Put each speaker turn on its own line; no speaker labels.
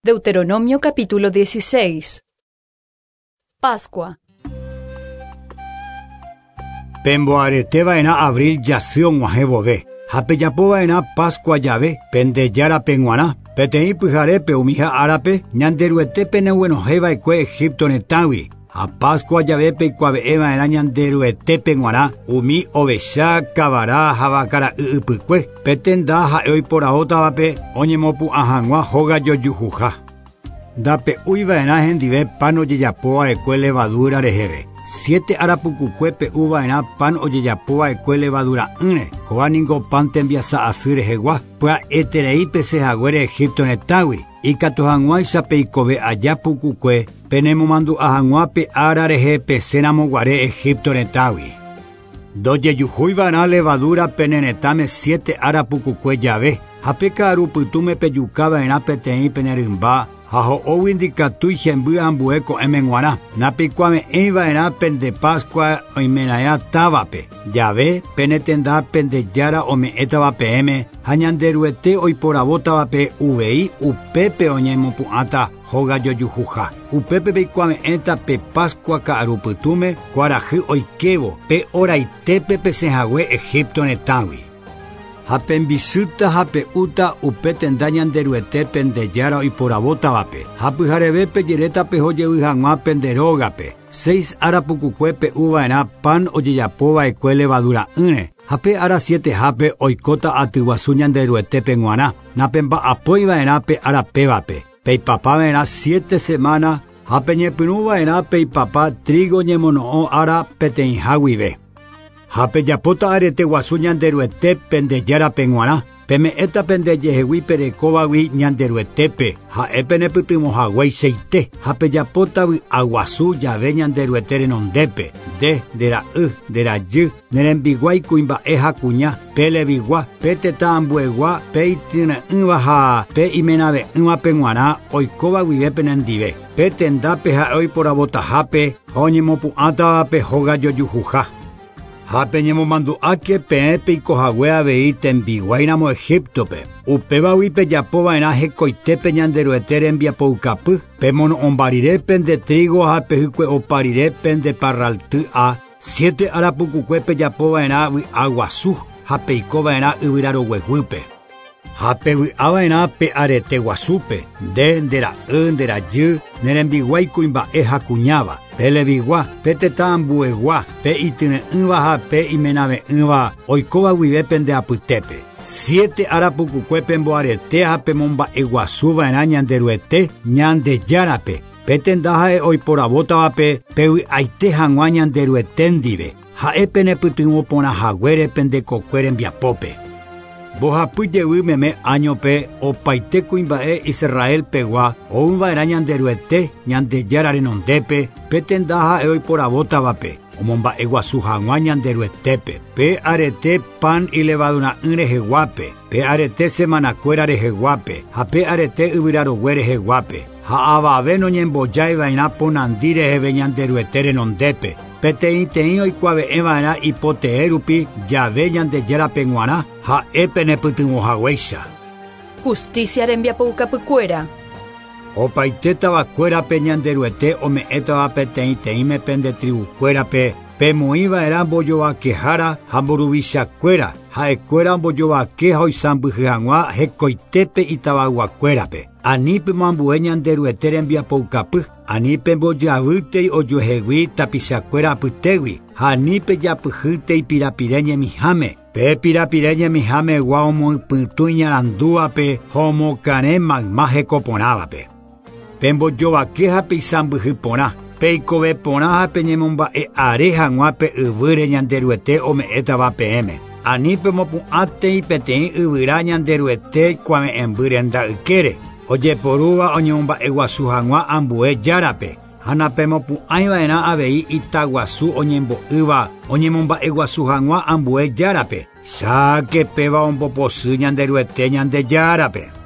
Deuteronomio capítulo 16. Pascua.
Pemboareteva'erã abril jasy og̃uahẽ vove ha pejapova'erã Pascua jave pende Járape g̃uarã. Peteĩ pyharépe umiha árape Ñanderuete peneguenohẽva'ekue Egipto retãgui ha Pascua jave peikuave'ẽva'erã Ñanderuetépe g̃uarã umi ovecha, kavara ha vakara'y ypykue. Pe tenda ha'e oiporavótavape oñemopu'ã hag̃ua hóga jojuhuha. Ndape'úiva'erã hendive pan ojejapova'ekue levadura reheve. Siete ára pukukue pe'uva'erã pan ojejapova'ekue levadura'ỹre. Kóva ningo pan tembiasa asy rehegua. Pya'eterei pesẽhaguére Egipto retãgui. Ikatu hag̃uáicha peikove aja pukukue penemomandu'a hag̃ua pe ára rehe pesẽramoguare Egipto retãgui. Ndojejuhúiva'erã levadura pene retãme siete ára pukukue jave ha pe ka'arupytũme pejukava'erã peteĩ pene rymba ha ho'ógui ndikatúi hemby ambue ko'ẽme g̃uarã. Napeikuave'ẽiva'erã pende Pascua oimeraẽ távape jave pene tenda pende Jára ome'ẽtava peẽme ha Ñanderuete oiporavótavape uvei upépe oñemopu'ãta hóga jojuhuha. Upépe peikuave'ẽta pe Pascua ka'arupytũme kuarahy oikévo pe oraitépe pesẽhague Egipto retãgui. Ha pembisýta ha pe'úta upe tenda Ñanderuete pende Jára oiporavótavape. Ha pyhareve pejeréta pehojevy hag̃ua pende rógape. Seis ára pukukue pe'uva'erã pan ojejapova'ekue levadura'ỹre. Ha pe ára sietehápe oikóta atyguasu Ñanderuetépe g̃uarã. Napemba'apóiva'erã pe ára pévape. Peipapava'erã siete semana ha peñepyrũva'erã peipapa trigo ñemono'õ ára peteĩha guive. Ha pejapóta arete guasu Ñanderuete pende Járape g̃uarã. Peme'ẽta pendejehegui perekóvagui Ñanderuetépe ha'e penepytyvõhagueichaite ha pejapóta vy'aguasu jave Ñanderuete renondépe. Nde, nde ra'y, nde rajy, ne rembiguái kuimba'e ha kuña, pe levigua, pe tetã ambuegua, pe ityre'ỹva ha pe imenave'ỹvape g̃uarã oikóva guive penendive. Pe tendápe ha'e oiporavotahápe ha oñemopu'ãtavape hóga jojuhuha. Ha peñemomandu'áke peẽ peikohague avei tembiguáiramo Egiptope. Upévagui pejapova'erã hekoitépe Ñanderuete rembiapoukapy. Pemono'õmba rire pende trigo ha pehykue'opa rire pende parralty'a. Siete ára pukukue pejapova'erã vy'aguasu ha peikova'erã yvyrarogueguýpe. Ha pevy'ava'erã pe arete guasúpe, nde, nde ra'y, nde rajy, ne rembiguái kuimba'e ha kuñáva, pe levigua, pe tetã ambuegua, pe ityre'ỹva ha pe imenave'ỹva oikóva guive pende apytépe. Siete ára pukukue pemboarete ha pemomba'eguasuva'erã Ñanderuete Ñandejárape. Pe tenda ha'e oiporavótavape pevy'aite hag̃ua Ñanderuete ndive. Ha'e penepytyvõporãhaguére pende kokue rembiapópe. Mbohapy jevy meme áñope opaite kuimba'e Israel pegua ouva'erã Ñanderuete Ñandejára renondépe pe tenda ha'e oiporavótavape omomba'eguasu hag̃ua Ñanderuetépe. Pe arete pan ilevadura'ỹ reheguápe, pe arete semanakuéra reheguápe ha pe arete yvyrarogue reheguápe. Ha avave noñembojáiva'erã ponandi reheve Ñanderuete renondépe. Peteĩteĩ oikuave'ẽva'erã ipotee rupi jave Ñandejárape g̃uarã ha'e penepytyvõhaguéicha.
Justicia rembiapoukapykuéra.
Opaite tavakuérape Ñanderuete ome'ẽtava peteĩteĩme pende tribukuérape pemoĩva'erã mbojovakehára ha mburuvichakuéra ha'ekuéra ombojovake ha oisãmbyhy hag̃ua hekoitépe itavayguakuérape. Ani pemoambue Ñanderuete rembiapoukapy, ani pembojavýtei ojuehegui tapichakuéra apytégui ha ani pejapyhýtei pirapire ñemiháme. Pe pirapire ñemihámegua omoypytũ iñarandúvape ha omokarẽ mayma hekoporãvape. Pembojovake ha peisãmbyhy porã, peikove porã ha peñemomba'e are hag̃ua pe yvýre Ñanderuete ome'ẽtava peẽme. Ani pemopu'ãtei peteĩ yvyra Ñanderuete kuave'ẽmby renda ykére, ojeporúva oñemomba'eguasu hag̃ua ambue Járape. Ha napemopu'ãiva'erã avei itaguasu oñembo'ýva oñemomba'eguasu hag̃ua ambue Járape. Cháke péva ombopochy Ñanderuete Ñandejárape.